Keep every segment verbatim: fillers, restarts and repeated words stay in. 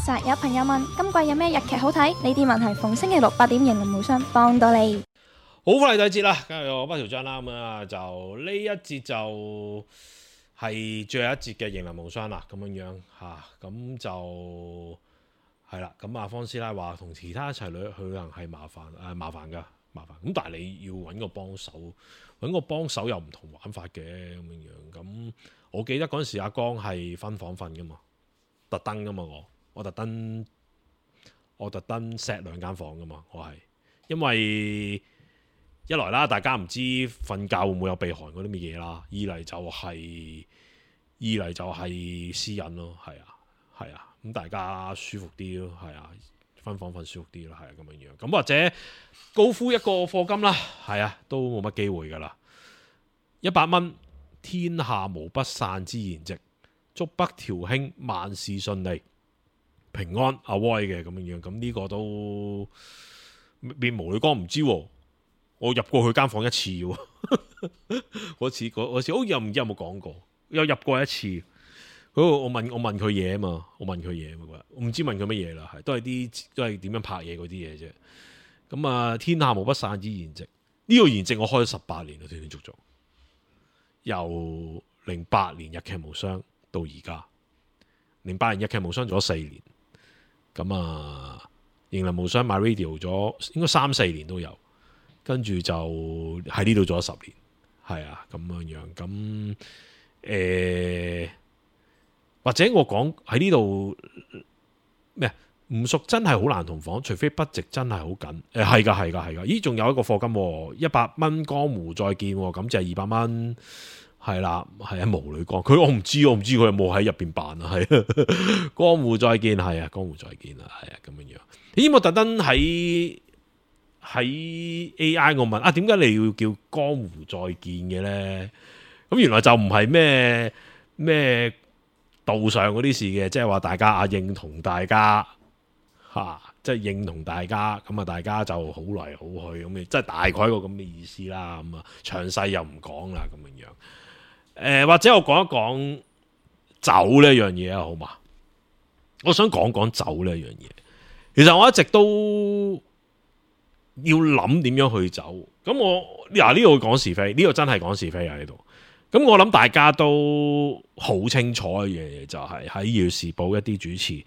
實有朋友問今季有咩日劇好睇？呢啲問題逢星期六八點迎林無雙幫到你。好快第二節啦，跟住我北條章啦，咁啊就呢一節就係最後一節嘅迎林無雙啦，咁樣樣吓，咁、啊、就係啦。咁啊，方師奶話同其他一齊旅去旅行係麻煩，誒、啊、麻煩噶，麻煩。咁但係你要揾個幫手，揾個幫手又唔同玩法嘅咁樣樣。咁我記得嗰陣時阿江係分房瞓噶嘛，特登噶嘛我，我特登我特登 set 兩間房噶嘛，我係因為。一來啦，大家唔知瞓覺會唔會有鼻鼾嗰啲乜嘢啦；二嚟就係、是、二嚟就係私隱咯，係啊，係啊，咁大家舒服啲咯，係啊，分房瞓舒服啲咯，係啊，咁樣樣。咁或者高呼一個課金啦，係啊，都冇乜機會噶啦。一百蚊，天下無不散之筵席，祝北條兄萬事順利、平安。阿威嘅咁樣樣，咁呢個都變無女光唔知喎。我入過佢間房一次喎，嗰次嗰次好似又唔知有冇講過，有入過一次。嗰我問我問佢嘢啊嘛，我問佢嘢嘛，我唔知問佢乜嘢啦，係都係啲都係點樣拍嘢嗰啲嘢啫。咁啊，天下無不散之筵席，呢、這個筵席我開咗十八年啦，斷斷續續，由零八年日劇無雙到而家，零八年日劇無雙做咗四年，咁啊，迎林無雙 MyRadio 咗應該三四年都有。跟住就喺呢度做咗十年，係啊咁樣樣，咁誒、呃、或者我講喺呢度咩唔熟真係好難同房，除非筆值真係好緊，誒係噶係噶係噶，咦仲有一個課金一百蚊江湖再見，咁就係二百蚊，係啦係啊無女光，佢我唔知我唔知佢有冇喺入邊辦啊，係江湖再見係啊江湖再見啊係啊咁樣樣，咦我特登喺。喺 A I 我問啊，點解你要叫江湖再見嘅咧？咁原來就唔係咩咩道上嗰啲事嘅，即係話大家啊認同大家嚇，即、啊、係、就是、認同大家，咁啊大家就好嚟好去咁嘅，即係大概一個咁嘅意思啦。咁啊詳細又唔講啦，咁樣樣。誒、呃、或者我講一講酒呢一樣嘢啊，好嘛？我想講講酒呢一樣嘢。其實我一直都。要諗點樣去走，咁我嗱呢度講是非，呢、這個真係講是非啊呢度。咁我諗大家都好清楚嘅嘢，就係喺《耀時報》一啲主持，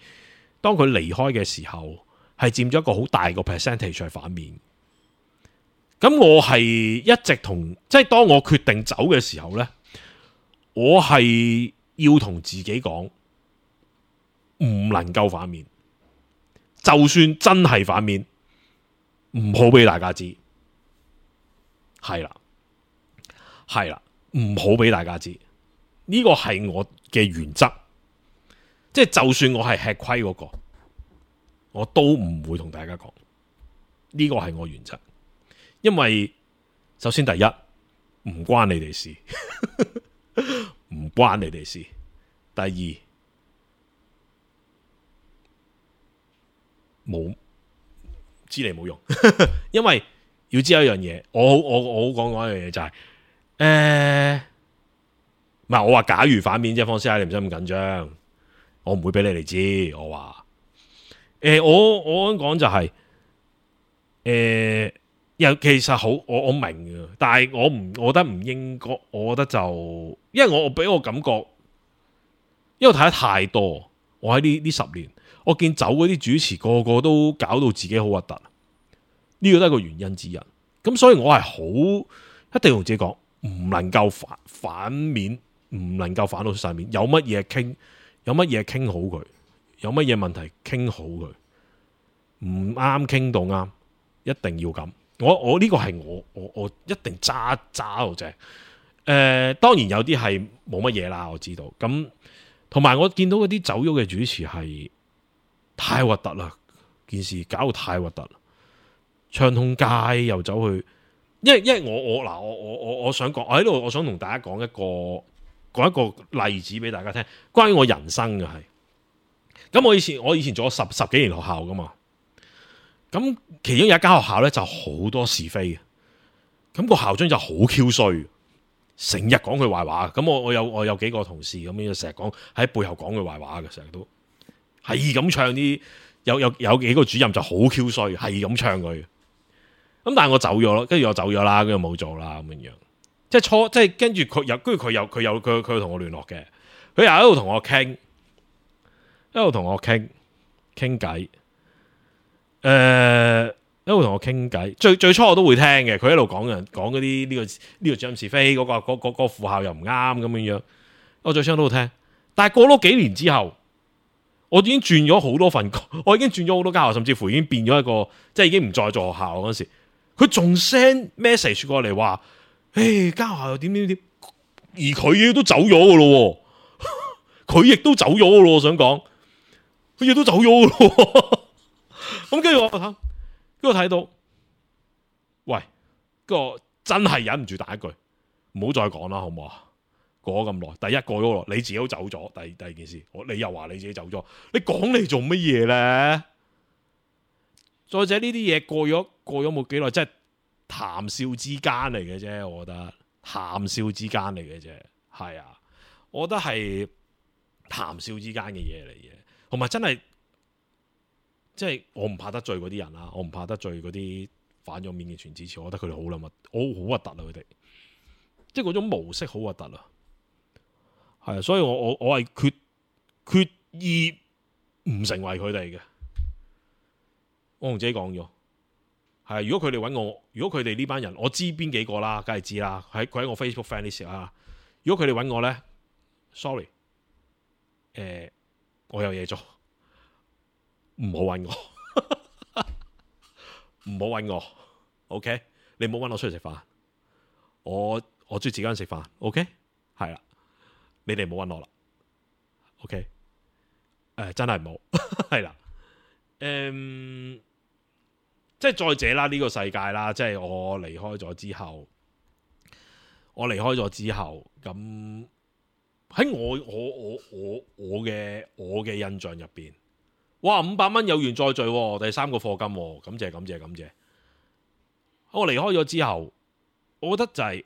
當佢離開嘅時候，係佔咗一個好大個 percentage 係反面。咁我係一直同，即係當我決定走嘅時候呢，我係要同自己講，唔能夠反面，就算真係反面。唔好俾大家知，係啦，係啦，唔好俾大家知，呢個係我嘅原則，即係就算我係吃虧嗰個，我都唔會同大家講，呢個係我原則，因為首先第一唔關你哋事，唔關你哋事，第二冇。知你冇用，因為要知有一樣嘢，我我我好講講一樣嘢就係、是，誒、呃，唔係我話假如反面啫，方師奶你唔使咁緊張，我唔會俾你哋知，我話，誒、呃，我我講就係、是，誒、呃，又其實好，我我明嘅，但係我唔，我覺得唔應該，我覺得就，因為我俾我感覺，因為我睇得太多，我喺呢呢十年。我見走嗰啲主持個個都搞到自己好核突，呢個都係個原因之一。咁所以我係好一定同自己講，唔能夠反反面，唔能夠反到晒面。有乜嘢傾，有乜嘢傾好佢，有乜嘢問題傾好佢，唔啱傾到啱，一定要咁。我我呢個係我我我一定揸揸到正。誒、呃，當然有啲係冇乜嘢啦，我知道。咁同埋我見到嗰啲走咗嘅主持係。太核突啦！件事搞到太核突啦，唱通街又走去，因為因為我我嗱我我我我想講，我喺度我想同大家講一個講一個例子俾大家聽，關於我人生嘅係。咁我以前我以前做咗十十幾年學校噶嘛，咁其中有一間學校咧就好多是非嘅，咁個校長就好 Q 衰，成日講佢壞話。咁我我有我有幾個同事咁樣成日講喺背後講佢壞話嘅，成日都。係咁唱啲有有有幾個主任就好 Q 衰，係咁唱佢。咁但係我走咗咯，跟住我走咗啦，跟住冇做啦咁樣。即係初，即係跟住佢有，跟住佢有佢有佢佢同我聯絡嘅，佢又喺度同我傾，一路同我傾傾偈，誒。一路同我傾偈，最最初我都會聽嘅。佢一路講人講嗰啲呢個呢個主任是非，嗰、嗰個嗰、嗰個嗰個副校又唔啱咁樣樣。我最初都會聽，但係過咗幾年之後，我已經轉咗好多份工，我已經轉咗好多間學校，甚至乎已經變咗一個，即係已經唔再做學校嗰時，佢仲 send message 過嚟話，誒間學校又點點點，而佢亦都走咗噶咯，佢亦都走咗噶咯。我想講，佢亦都走咗噶咯。咁跟住我睇。跟住睇到，喂，個真係忍唔住打一句，唔好再講啦，好唔好啊？過咗咁耐，第一過咗咯，你自己都走咗，第第二件事，我你又話你自己走咗，你講嚟做乜嘢咧？再者呢啲嘢過咗過咗冇幾耐，即係談笑之間嚟嘅啫，我覺得談笑之間嚟嘅啫，係啊，我覺得係談笑之間嘅嘢嚟嘅，同埋真係。即係我唔怕得罪嗰啲人啦，我唔怕得罪嗰啲反咗面嘅全支持，我覺得佢哋好撚核，我好核突啊！佢哋即係嗰種模式好核突啊，係啊，所以我我我係決決意唔成為佢哋嘅。我同自己講咗，係如果佢哋揾我，如果佢哋呢班人，我知邊幾個啦，梗係知啦，喺佢喺我 Facebook friend list 啊。如果佢哋揾我咧 ，sorry，誒、呃，我有嘢做。唔好揾我，唔好揾我 ，OK？你唔好揾我出嚟食飯，我我中意自己人食飯 ，OK？係啦，你哋唔好揾我啦 ，OK？誒、呃，真係唔好，係啦，誒、嗯，即係再者啦，呢、這個世界啦，即係我離開咗之後，我離開咗之後，咁喺我我我我我嘅我嘅印象入邊。哇！五百蚊有緣再聚，第三個課金，感謝感謝感謝。我離開咗之後，我覺得就係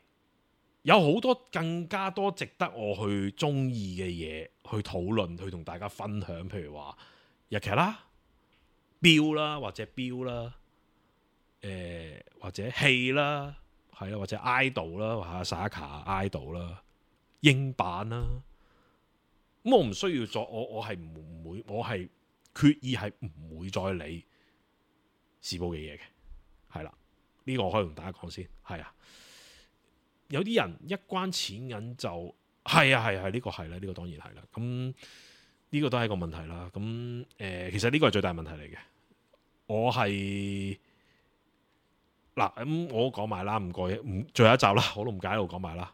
有好多更加多值得我去中意嘅嘢去討論，去同大家分享。譬如話日劇啦、標啦或者標啦，誒、呃、或者戲啦，係啦或者 idol 啦，或者 Saka idol 啦、英版啦。咁我唔需要再，我我係唔會，我係。決意係唔會再理時報嘅嘢嘅，係啦，呢、這個我可以同大家講先，係啊，有啲人一關錢銀就係啊係係呢個係啦，呢、這個當然係啦，咁呢、這個都係一個問題啦，咁誒、呃、其實呢個係最大問題嚟嘅，我係嗱咁我講埋啦，唔過唔最後一集啦，我都唔介意度講埋啦，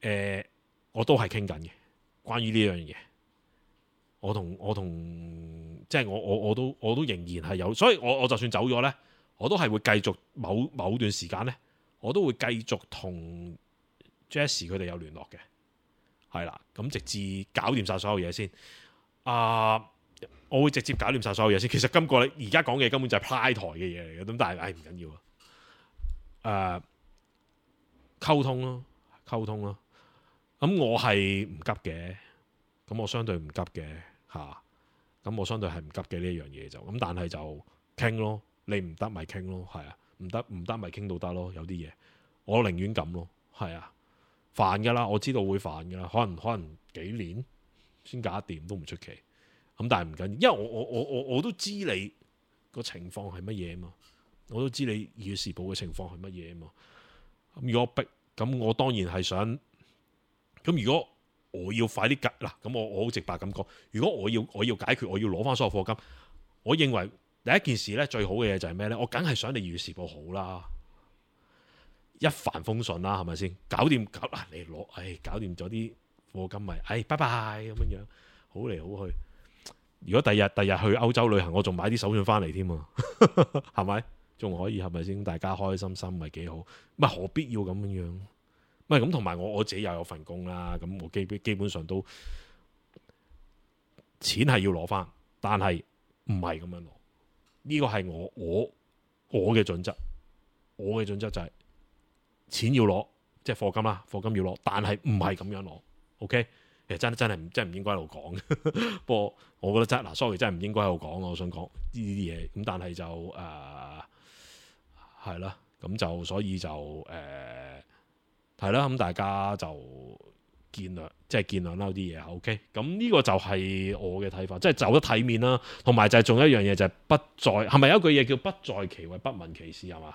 誒、呃、我都係傾緊嘅，關於呢樣嘢。我同我同即係我我我都我都仍然係有，所以我我就算走咗咧，我都係會繼續某某段時間咧，我都會繼續同 Jesse 佢哋有聯絡嘅，係啦，咁直至搞掂晒所有嘢先。啊、呃，我會直接搞掂晒所有嘢先。其實今個而家講嘅根本就係 Pride 台嘅嘢嚟嘅，咁但係唉唔緊要啊。誒、呃，溝通咯，溝通咯。咁我係唔急嘅，咁我相對唔急嘅。吓，咁、啊、我相對係唔急嘅呢一樣嘢就，咁但係就傾咯，你唔得咪傾咯，係啊，唔得唔得咪傾到得咯，有啲嘢我寧願咁咯，係啊，煩噶啦，我知道會煩噶啦，可能可能幾年先搞得掂都唔出奇，咁但係唔緊要，因為我我我我我都知你個情況係乜嘢啊嘛，我都知你《二月時報》嘅情況係乜嘢啊嘛，咁如果逼，咁我當然係想，咁如果。我要快啲解嗱，咁我我好直白咁講。如果我要我要解決，我要攞翻所有課金，我認為第一件事咧最好嘅嘢就係咩咧？我梗係想你《二月時報》好啦，一帆風順啦，係咪先？搞掂搞嗱，你攞，唉，搞掂咗啲課金咪，唉，拜拜咁樣樣，好嚟好去。如果第日第日去歐洲旅行，我仲買啲手信翻嚟添啊，係咪？仲可以係咪先？大家開開心心咪幾好？咪何必要咁樣樣？唔係咁，同埋我我自己又有份工啦，咁我基基本上都錢係要攞翻，但係唔係咁樣攞。呢個係我我我嘅準則，我嘅準則就係錢要攞，即係課金啦，課金要攞，但係唔係咁樣攞。OK，其實真真係唔真係唔應該喺度講。不過我覺得真嗱，sorry 真係唔應該喺度講。我想講呢啲嘢，咁但係就誒係啦，咁、呃、就所以就誒係啦，咁、呃、大家就見諒，即係見諒啦啲嘢。OK，咁呢個就係我嘅睇法，即係走得體面啦。同埋就係仲有一樣嘢就係不在，係咪有一句嘢叫不在其位不問其事係嘛？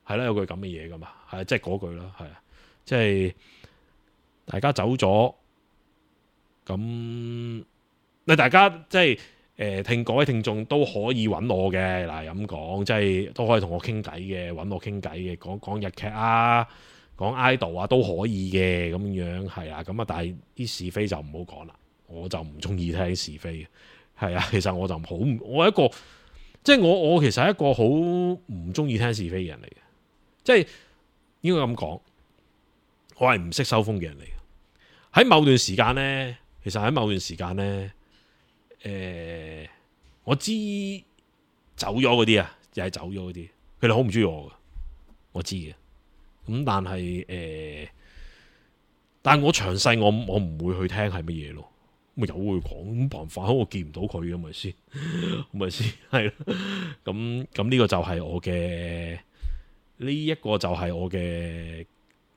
係啦，有句咁嘅嘢噶嘛，係即係嗰句啦，係啊，即係大家走咗。咁你大家即係誒聽各位聽眾都可以揾我嘅，嗱咁講，即係都可以同我傾偈嘅，揾我傾偈嘅，講講日劇啊，講 idol 啊都可以嘅，咁樣係啊，咁啊，但係啲是非就唔好講啦，我就唔中意聽是非嘅，係啊，其實我就好，我係一個即係我我其實係一個好唔中意聽是非嘅人嚟嘅，即係應該咁講，我係唔識收風嘅人嚟嘅，喺某段時間呢。其實喺某段時間呢，誒、呃，我知走咗嗰啲啊，又係走咗嗰啲，佢哋好唔中意我噶，我知嘅。咁但係誒、呃，但係我詳細我我唔會去聽係乜嘢咯，咪有會講，咁辦法，我見唔到佢咁咪先，咪先係咯。咁咁呢個就係我嘅呢一個就係我嘅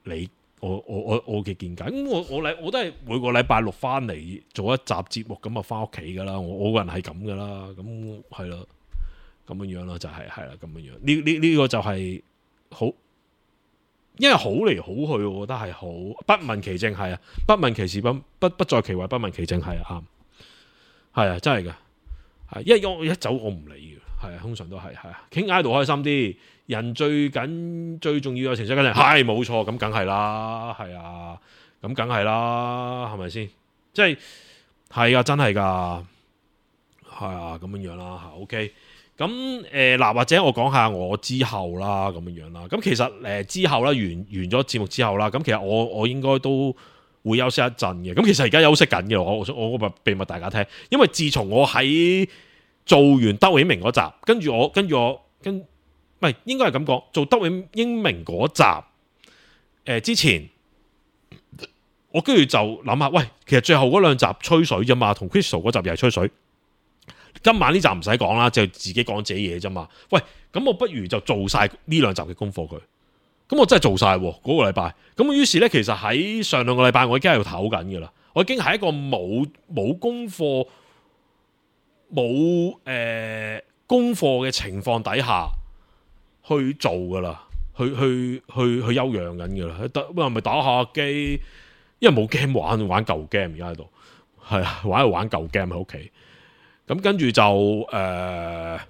理。我我我我嘅見解，咁我我禮我都係每個禮拜六翻嚟做一集節目，咁啊翻屋企噶啦，我我個人係咁噶啦，咁係咯，咁樣樣咯，就係係啦，咁樣樣，呢呢呢個就係好，因為好嚟好去，我覺得係好不問其正，係啊，不問其事，不不不在其位，不問其正，係啊，啱，係啊，真係噶，係，因為我一走我唔理嘅，係啊，通常都係係啊，傾喺度開心啲。人最緊最重要有情緒緊張，係冇錯，咁梗係啦，係啊，咁梗係啦，係咪先？即係係啊，真係噶，係啊，咁樣樣啦，吓 OK。咁誒嗱，或者我講下我之後啦，咁樣樣啦。咁其實誒、呃、之後啦，完完咗節目之後啦，咁其實我我應該都會休息一陣嘅。咁其實而家休息緊嘅，我我我秘密大家聽，因為自從我喺做完德永明嗰集，跟住我跟住我跟。唔係，應該係咁講。做德永英明嗰集，誒、呃、之前，我跟住就諗下，喂，其實最後嗰兩集吹水啫嘛，同 Crystal 嗰集又係吹水。今晚呢集唔使講啦，就自己講自己嘢啫嘛。喂，咁我不如就做晒呢兩集嘅功課佢。咁我真係做晒嗰、嗰個禮拜。咁於是咧，其實喺上兩個禮拜，我已經喺度唞緊噶啦。我已經係一個冇冇功課、冇誒、呃、功課嘅情況底下。去做噶啦，去去去去休養緊噶啦，得係咪打下機？因為冇 game 玩，玩舊 game 而家喺度，係啊，玩喺度玩舊 game 喺屋企。咁跟住就誒，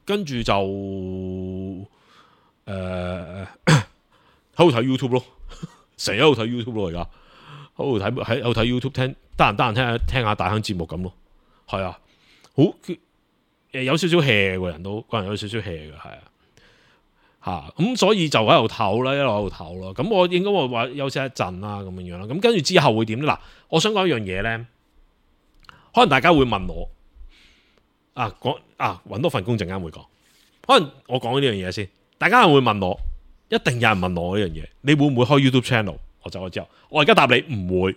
跟住就誒喺度睇 YouTube 咯，成日喺度睇 YouTube 咯，而家喺度睇喺度睇 YouTube 聽，得閒得閒聽下聽下大亨節目咁咯，係啊，好誒有少少 hea 個人都個人有少少 hea 嘅，係啊。吓咁、啊、所以就喺度唞啦，一路喺度唞咯。咁我應該會話休息一陣啦，咁樣樣啦。咁跟住之後會點咧？嗱，我想講一樣嘢咧，可能大家會問我啊，講啊，搵多份工陣間會講。可能我講呢樣嘢先，大家會問我，一定有人問我呢樣嘢，你會唔會開 YouTube channel？我走咗之後，我而家答你唔會。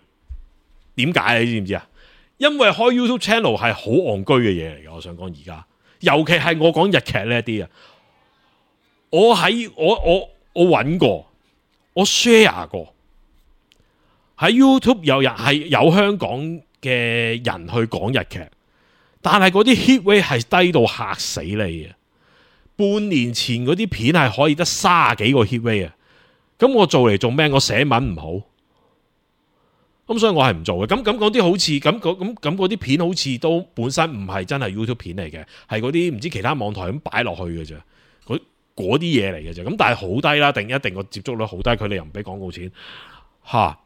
點解你知唔知啊？因為開 YouTube channel 係好戇居嘅嘢嚟嘅。我想講而家，尤其係我講日劇呢一啲啊。我喺我我我揾過，我 share 過喺 YouTube 有人係有香港嘅人去講日劇，但係嗰啲 hit rate 係低到嚇死你嘅。半年前嗰啲片係可以得卅幾個 hit rate 啊！咁我做嚟做咩？我寫文唔好，咁所以我係唔做嘅。咁咁嗰啲好似咁咁咁嗰啲片好似都本身唔係真係 YouTube 片嚟嘅，係嗰啲唔知其他網台咁擺落去嘅啫。嗰啲嘢嚟嘅啫，咁但係好低啦，定一定個接觸率好低，佢哋又唔俾廣告錢，吓、啊、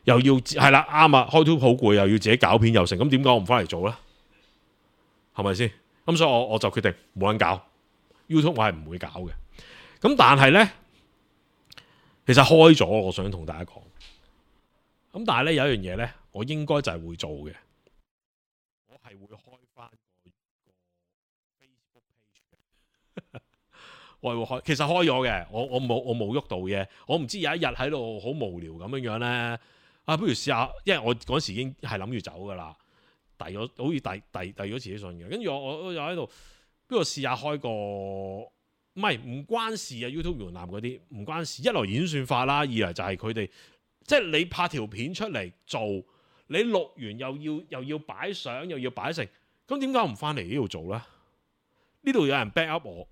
又要係啦，啱啊，開 YouTube 好攰，又要自己搞片又成，咁點解我唔翻嚟做咧？係咪先？咁所以我我就決定冇人搞 YouTube，我係唔會搞嘅。咁但係咧，其實開咗，我想同大家講，咁但係咧有一樣嘢咧，我應該就係會做嘅，我係會開翻個 Facebook page 嘅。我係會開，其實開咗嘅，我我冇我冇喐到嘅，我唔知有一日喺度好無聊咁樣樣咧，啊，不如試下，因為我嗰時已經係諗住走噶啦，遞咗好似遞遞遞咗自己信嘅，跟住我我我又喺度，不如試下開個，唔係唔關事啊 YouTube 門檻嗰啲唔關事，一來演算法啦，二嚟就係佢哋，即係你拍條片出嚟做，你錄完又要又要擺相又要擺成，咁點解我唔翻嚟呢度做咧？呢度有人 back up 我，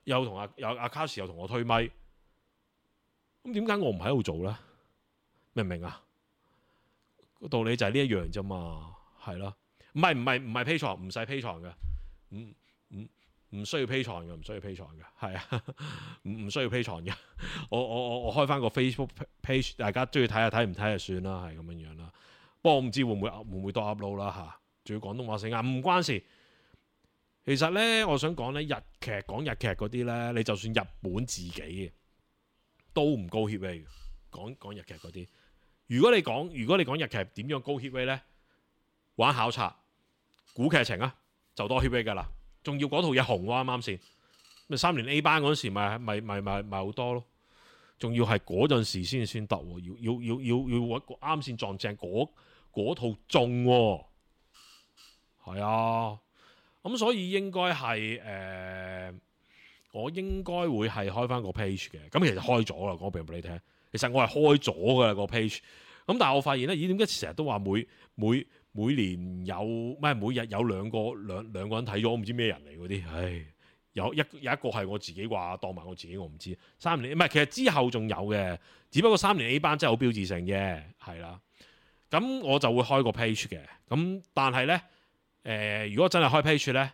又同阿有阿卡士又同我推咪，咁點解我唔喺度做咧？明唔明啊？個道理就係呢一樣啫嘛，係咯，唔係唔係唔係 Patreon，唔使 Patreon嘅，唔唔唔需要 Patreon嘅，唔需要 Patreon嘅，係啊，唔唔需要 Patreon嘅，我我我我開翻個 Facebook page， 大家中意睇下睇唔睇就算啦，係咁樣樣啦。不過我唔知會唔會會唔會多 upload 啦嚇，仲要廣東話聲啊，唔關事。其實咧，我想講咧，日劇講日劇嗰啲咧，你就算日本自己嘅都唔高 hit rate 嘅，講講日劇嗰啲。如果你講如果你講日劇點樣高 hit rate 咧，玩考察、估劇情啊，就多 hit rate 噶啦。仲要嗰套嘢紅喎，啱啱先咪三年 A 班嗰陣時咪咪咪咪咪好多咯。仲要係嗰陣時先先得喎，要要要要要揾啱先撞正嗰套中喎，係啊。咁所以應該係誒、呃，我應該會係開翻個 page 嘅。咁其實開咗啦，講俾俾你聽。其實我係開咗嘅個 page。咁但係我發現咧，咦？點解成日都話每每每年有咩？每日有兩個兩兩個人睇咗，我唔知咩人嚟嗰啲。唉，有一有一個係我自己話當埋我自己，我唔知。三年唔係，其實之後仲有嘅，只不過三年 A 班真係好標誌性嘅，係啦。咁我就會開個 page 嘅。咁但係咧。誒、呃，如果真係開 page 咧，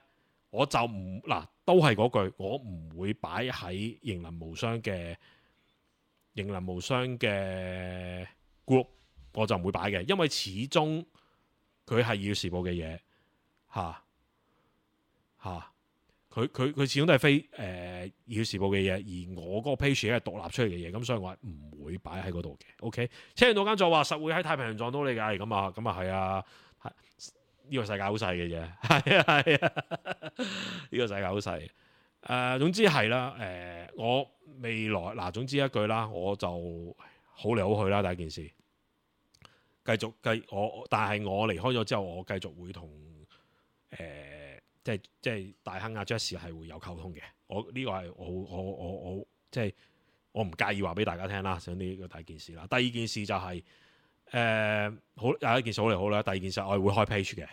我就唔嗱，都係嗰句，我唔會擺喺型林無雙嘅型林無雙嘅 group，我就唔會擺嘅，因為始終佢係二月時報嘅嘢嚇嚇，佢佢佢始終都係非誒二月時報嘅嘢，而我嗰個 page 係獨立出嚟嘅嘢，咁所以我係唔會擺喺嗰度嘅。OK，車人道間就話實會喺太平洋撞到你㗎，咁啊咁啊係啊。呢個世界好細嘅啫，係啊係啊，呢個世界好細。誒、呃，總之係啦。誒、呃，我未來嗱、呃，總之一句啦，我就好嚟好去啦。第一件事，繼續繼我，但係我離開咗之後，我繼續會同誒、呃，即係即係大亨阿 Jess 係會有溝通嘅。我呢、這個係我我我我即係我唔介意話俾大家聽啦。想呢個第一件事啦，第二件事就係、是。誒、呃、好有一件事好嚟好啦，第二件事我係會開 page 嘅，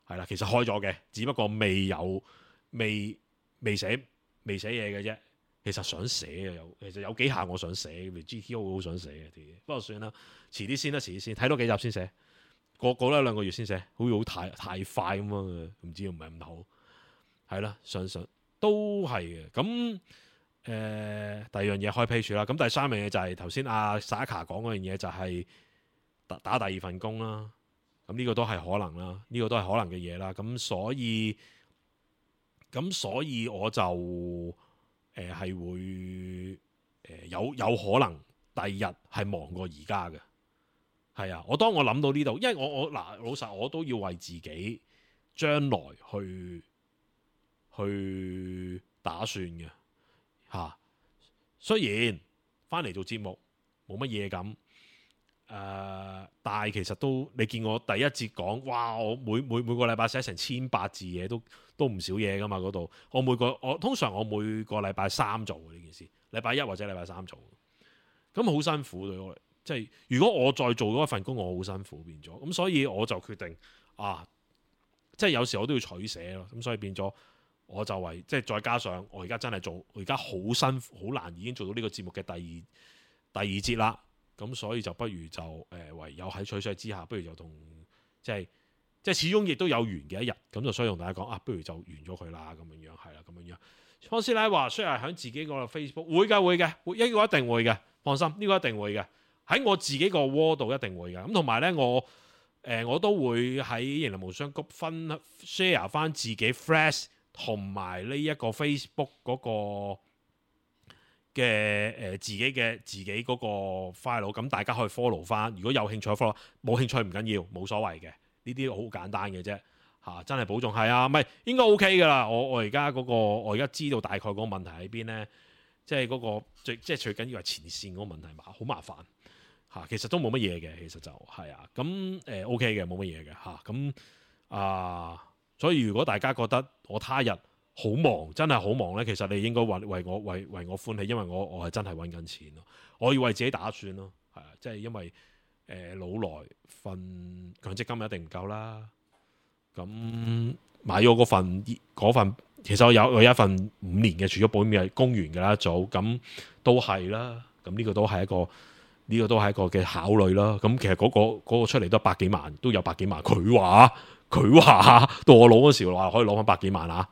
係啦，其實開咗嘅，只不過未有未未寫未寫嘢嘅啫。其實想寫嘅有，其實有幾下我想寫，譬如 G T O 好想寫嘅啲嘢，不過算啦，遲啲先啦，遲啲先睇多幾集先寫，過過多兩個月先寫，好似好太太快咁啊，唔知唔係咁好，係啦，想想都係嘅。咁誒、呃、第二樣嘢開 page 啦，咁第三樣嘢就係頭先阿 Saka 講嗰樣嘢就係、是。打第二份工啦，咁呢個都係可能啦，呢、這個都係可能嘅嘢啦。咁所以咁所以我就誒係、呃、會誒、呃、有有可能第二日係忙過而家嘅，係啊。我當我諗到呢度，因為我我嗱老實我都要為自己將來去去打算嘅嚇、啊。雖然翻嚟做節目冇乜嘢咁。誒、呃，但係其實都你見我第一節講，哇！我每每每個禮拜寫成千八字嘢，都都唔少嘢噶嘛嗰度。我每個我通常我每個禮拜三做呢件事，禮拜一或者禮拜三做，咁好辛苦對我。即係如果我再做嗰一份工，我好辛苦變咗。咁所以我就決定啊，即係有時我都要取捨咯。咁所以變咗我就為即係再加上我而家真係做，我而家好辛苦好難已經做到呢個節目嘅第二第二節啦。咁所以就不如就誒、呃、唯有喺取捨之下，不如就同即係即係始終亦都有完嘅一日，咁就所以同大家講啊，不如就完咗佢啦，咁樣樣係啦，咁樣樣。方師奶話，雖然喺自己個 Facebook 會嘅會嘅，會呢個一定會嘅，放心呢、呢個一定會嘅。喺我自己個窩度一定會嘅。咁同埋咧，我誒、呃、我都會喺型林無雙谷分 share 翻自己 Flash 同埋呢一個 Facebook 嗰、嗰個。嘅誒、呃、自己嘅自己嗰個 file，咁大家可以 follow 翻。如果有興趣 follow，冇興趣唔緊要，冇所謂嘅。呢啲好簡單嘅啫嚇，真係保重係啊，唔係應該 OK 噶啦。我我而家嗰個我而家知道大概嗰個問題喺邊咧，即係嗰個最即係最緊要係前線嗰個問題嘛，好麻煩嚇，其實都冇乜嘢嘅，其實就係啊，咁誒 O K 嘅，冇乜嘢嘅嚇，咁啊，所以如果大家覺得我他日好忙，真係好忙咧，其實你應該為為我為為我歡喜，因為我我係真係揾緊錢咯，我要為自己打算咯，係啊，即係因為誒、呃、老來份強積金一定唔夠啦，咁買咗嗰份嗰份，其實我有我有一份五年嘅儲蓄保險係供完㗎啦，一早咁都係啦，咁呢個都係一個。呢個都係一個嘅考慮啦。咁其實嗰、嗰個嗰個出嚟都百幾萬，都有百幾萬。佢話佢話到我攞嗰時話可以攞翻百幾萬啊！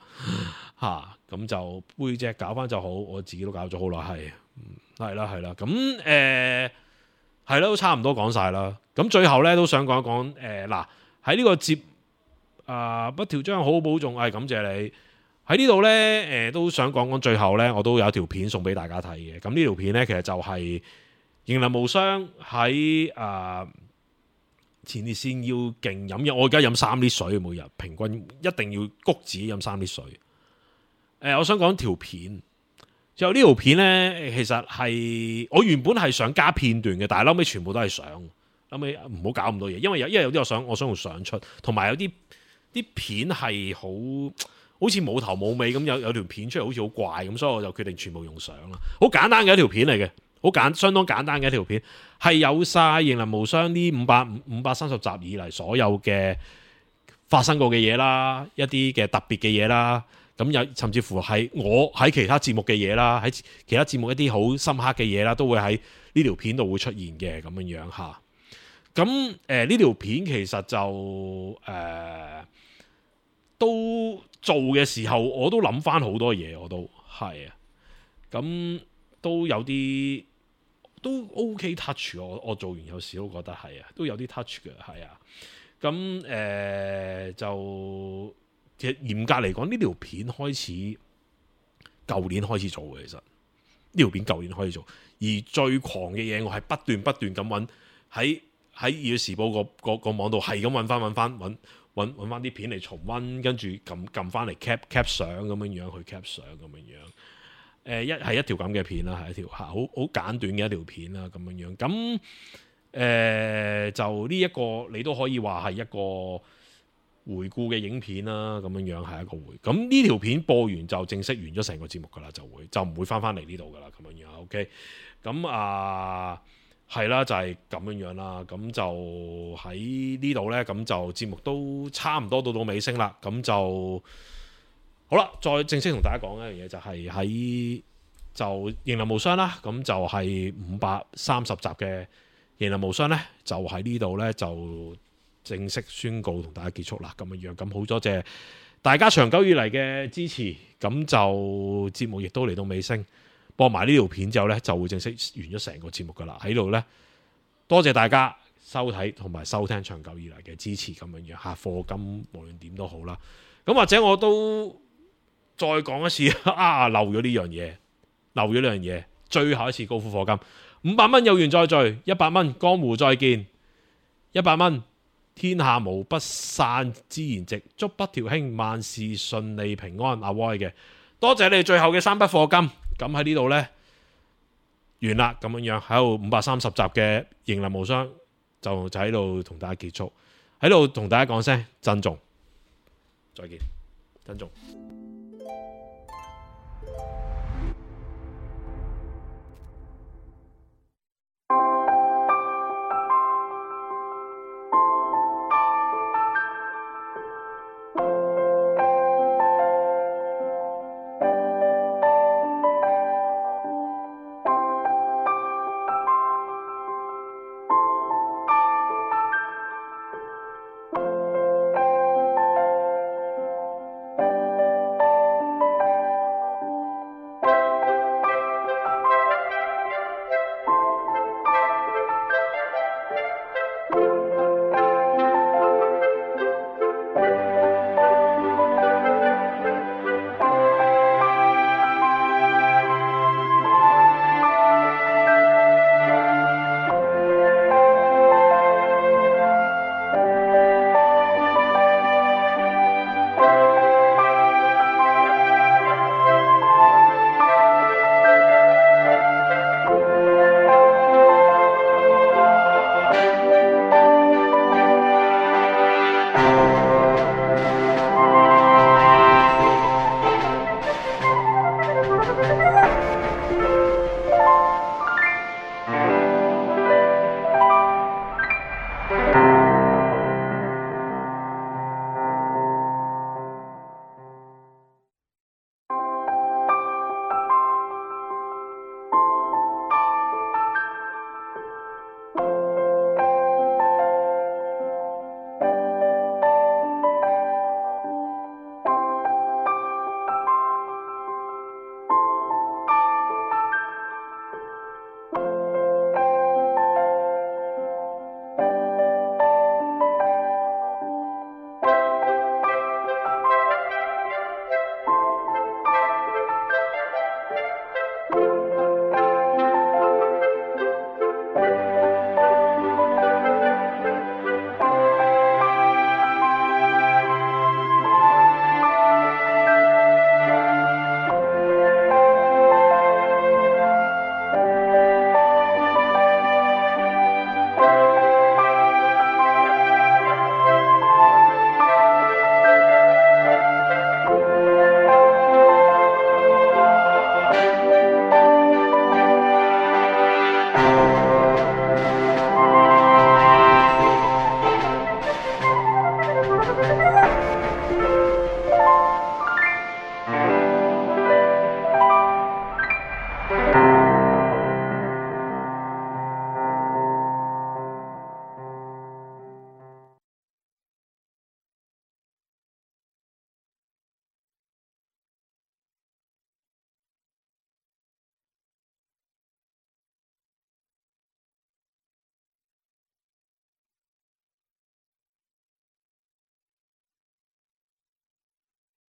嚇、啊、咁就背脊搞翻就好。我自己都搞咗好耐，係係啦係啦。咁誒係啦，都差唔多講晒啦。咁最後咧都想講一講誒嗱喺呢個節啊不調將好好保重，係、哎、感謝你喺呢度咧誒都想講講最後咧，我都有一條片送俾大家睇嘅。咁呢條片咧其實就係、是。迎難無雙喺誒前列腺要勁飲嘢，我而家飲三啲水，每日平均一定要谷自己飲三啲水。誒、呃，我想講條片，就呢條片咧，其實係我原本係想加片段嘅，但係後尾全部都係相，後尾唔好搞咁多嘢，因為有因為有啲我想我想用相出，同埋有啲啲片係好好似冇頭冇尾咁，有有條片出嚟好似好怪咁，所以我就決定全部用相啦。好簡單嘅一條片嚟嘅。好簡，相當簡單嘅一條片，係有晒迎難無雙呢五百五百三十集以嚟所有嘅發生過嘅嘢啦，一啲嘅特別嘅嘢啦，咁有甚至乎係我喺其他節目嘅嘢啦，喺其他節目一啲好深刻嘅嘢啦，都會喺呢條片度會出現嘅咁樣樣嚇。咁誒呢條片其實就誒、呃、都做嘅時候，我都諗翻好多嘢，我都係啊，咁都有啲。都 OK touch 我我做完有時都覺得係啊，都有啲 touch 嘅係啊。咁誒、呃、就其實嚴格嚟講，呢條片開始舊年開始做嘅，其實呢條片舊年開始做，而最狂嘅嘢我係不斷不斷咁揾喺喺《粵語時報》個個個網度係咁揾翻揾翻揾揾揾翻啲片嚟重溫，跟住撳撳翻嚟 cap cap 相咁樣樣去 cap 相咁樣樣。誒、呃、一係一條咁嘅片啦，係一條好好簡短嘅一條片啦，咁樣樣。咁誒、呃、就呢、這、一個你都可以話係一個回顧嘅影片啦，咁樣樣係一個回。咁呢條片播完就正式完咗成個節目噶啦，就會就唔會翻翻嚟呢度噶啦，咁樣樣。OK，咁啊係啦，就係、是、咁樣樣啦。咁就喺呢度咧，咁就節目都差唔多到到尾聲啦。咁就。好啦，再正式同大家講一樣嘢，就係喺就迎難無雙啦，咁就係五百三十集嘅迎難無雙咧，就喺呢度咧就正式宣告同大家結束啦，咁樣樣，咁好多謝大家長久以嚟嘅支持，咁就節目亦都嚟到尾聲，播埋呢條片之後咧就會正式完咗成個節目噶啦，喺度咧多謝大家收睇同埋收聽長久以嚟嘅支持，咁樣樣吓，課金無論點都好啦，咁或者我都。再講一次啊！漏咗呢樣嘢，漏咗呢樣嘢。最後一次高呼課金，五百蚊有緣再聚，一百蚊江湖再見，一百蚊天下無不散之筵席，祝北條兄萬事順利平安。阿威嘅，多謝你最後嘅三筆課金。咁喺呢度呢，完啦，咁樣樣喺度五百三十集嘅迎難無雙就就喺度同大家結束，喺度同大家講聲珍重，再見，珍重。